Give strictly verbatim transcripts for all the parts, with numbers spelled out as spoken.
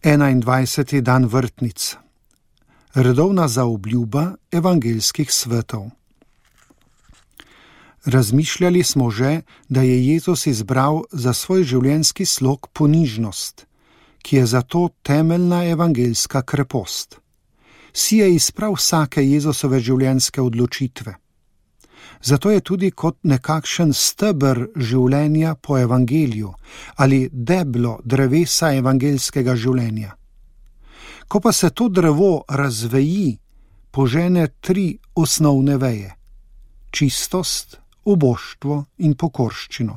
enaindvajseti dan vrtnic. Redovna zaobljuba evangeljskih svetov. Razmišljali smo že, da je Jezus izbral za svoj življenjski slog ponižnost, ki je zato temeljna evangeljska krepost. Si je izprav vsake Jezusove življenjske odločitve. Zato je tudi kot nekakšen steber življenja po evangeliju ali deblo drevesa evangeljskega življenja. Ko pa se to drevo razveji, požene tri osnovne veje: čistost, uboštvo in pokorščino.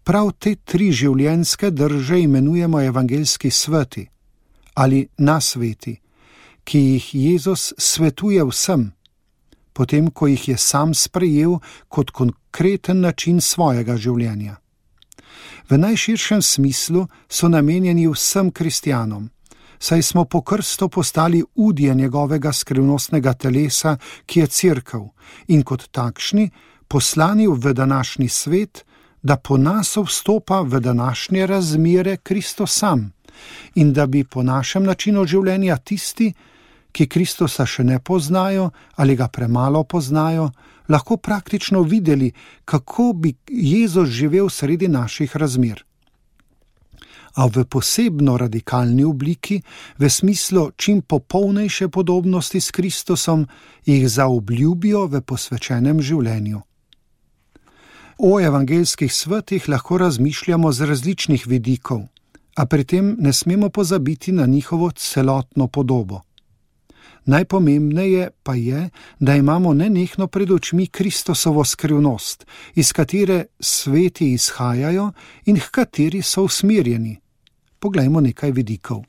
Prav te tri življenjske drže imenujemo evangeljski sveti ali nasveti, ki jih Jezus svetuje vsem, potem ko jih je sam sprejel kot konkreten način svojega življenja. V najširšem smislu so namenjeni vsem kristjanom, saj smo po krstu postali udje njegovega skrivnostnega telesa, ki je cerkev, in kot takšni poslani v današnji svet, da po nas vstopa v današnje razmere Kristus sam in da bi po našem načinu življenja tisti, ki Kristusa še ne poznajo ali ga premalo poznajo, lahko praktično videli, kako bi Jezus živel sredi naših razmer. A v posebno radikalni obliki, v smislu čim popolnejše podobnosti s Kristusom, jih zaobljubijo v posvečenem življenju. O evangeljskih svetih lahko razmišljamo z različnih vidikov, a pri tem ne smemo pozabiti na njihovo celotno podobo. Najpomembneje pa je, da imamo nenehno pred očmi Kristusovo skrivnost, iz katere sveti izhajajo in h kateri so usmerjeni. Poglejmo nekaj vidikov.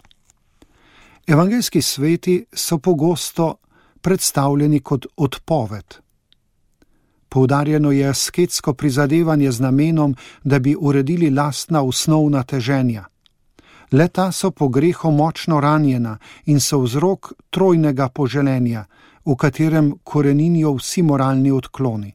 Evangeljski sveti so pogosto predstavljeni kot odpoved. Poudarjeno je asketsko prizadevanje z namenom, da bi uredili lastna osnovna teženja. Le-ta so po grehu močno ranjena in so vzrok trojnega poželenja, v katerem koreninijo vsi moralni odkloni.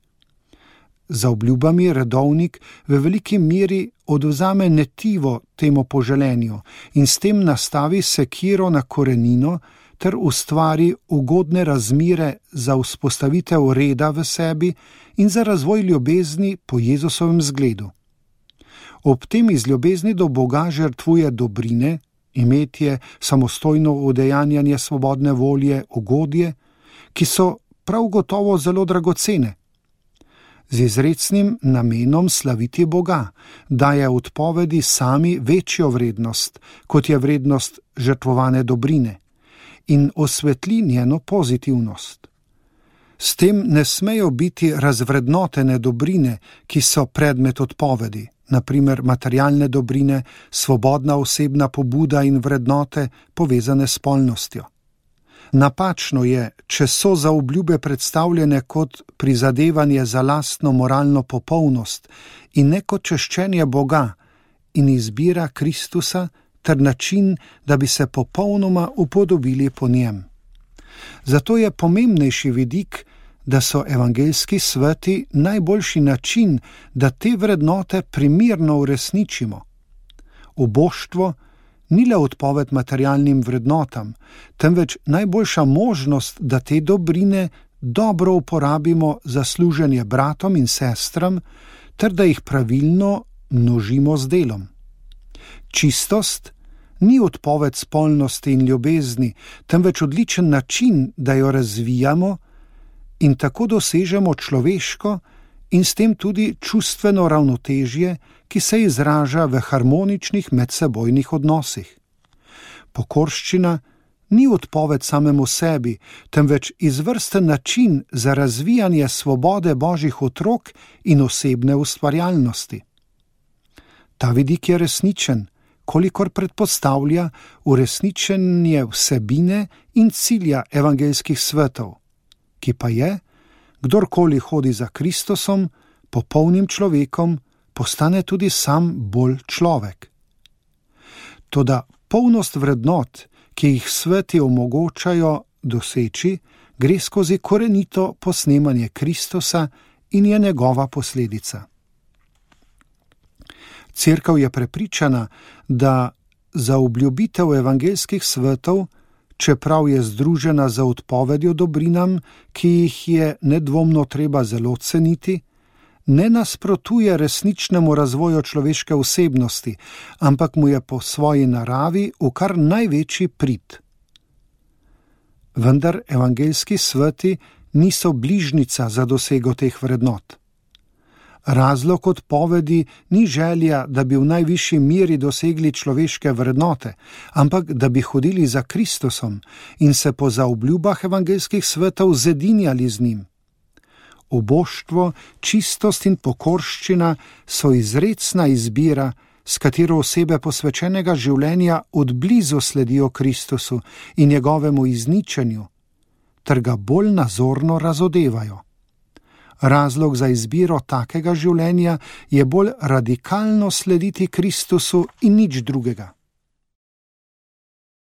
Za obljubami redovnik v veliki meri odvzame netivo temu poželenju in s tem nastavi sekiro na korenino ter ustvari ugodne razmire za vzpostavitev reda v sebi in za razvoj ljubezni po Jezusovem zgledu. Ob tem iz ljubezni do Boga žrtvuje dobrine, imetje, samostojno udejanjanje svobodne volje, ugodje, ki so prav gotovo zelo dragocene. Z izrecnim namenom slaviti Boga daje odpovedi sami večjo vrednost, kot je vrednost žrtvovane dobrine, in osvetli njeno pozitivnost. S tem ne smejo biti razvrednotene dobrine, ki so predmet odpovedi, na primer materialne dobrine, svobodna osebna pobuda in vrednote povezane s spolnostjo. Napačno je, če so zaobljube predstavljene kot prizadevanje za lastno moralno popolnost in ne kot češčenje Boga in izbira Kristusa ter način, da bi se popolnoma upodobili po njem. Zato je pomembnejši vidik, da so evangeljski sveti najboljši način, da te vrednote primerno uresničimo. Uboštvo ni le odpoved materialnim vrednotam, temveč najboljša možnost, da te dobrine dobro uporabimo za služenje bratom in sestram, ter da jih pravilno množimo z delom. Čistost ni odpoved spolnosti in ljubezni, temveč odličen način, da jo razvijamo in tako dosežemo človeško in s tem tudi čustveno ravnotežje, ki se izraža v harmoničnih medsebojnih odnosih. Pokorščina ni odpoved samemu sebi, temveč izvrsten način za razvijanje svobode Božjih otrok in osebne ustvarjalnosti. Ta vidik je resničen, kolikor predpostavlja uresničenje vsebine in cilja evangeljskih svetov, ki pa je, kdorkoli hodi za Kristusom, popolnim človekom, postane tudi sam bolj človek. Toda polnost vrednot, ki jih sveti omogočajo doseči, gre skozi korenito posnemanje Kristusa in je njegova posledica. Cerkev je prepričana, da zaobljubitev evangeljskih svetov, čeprav je združena z odpovedjo dobrinam, ki jih je nedvomno treba zelo ceniti, ne nasprotuje resničnemu razvoju človeške osebnosti, ampak mu je po svoji naravi v kar največji prid. Vendar evangeljski sveti niso bližnica za dosego teh vrednot. Razlog odpovedi ni želja, da bi v najvišji meri dosegli človeške vrednote, ampak da bi hodili za Kristusom in se po zaobljubah evangeljskih svetov zedinjali z njim. Uboštvo, čistost in pokorščina so izrecna izbira, s katero osebe posvečenega življenja odblizu sledijo Kristusu in njegovemu izničenju, ter ga bolj nazorno razodevajo. Razlog za izbiro takega življenja je bolj radikalno slediti Kristusu in nič drugega.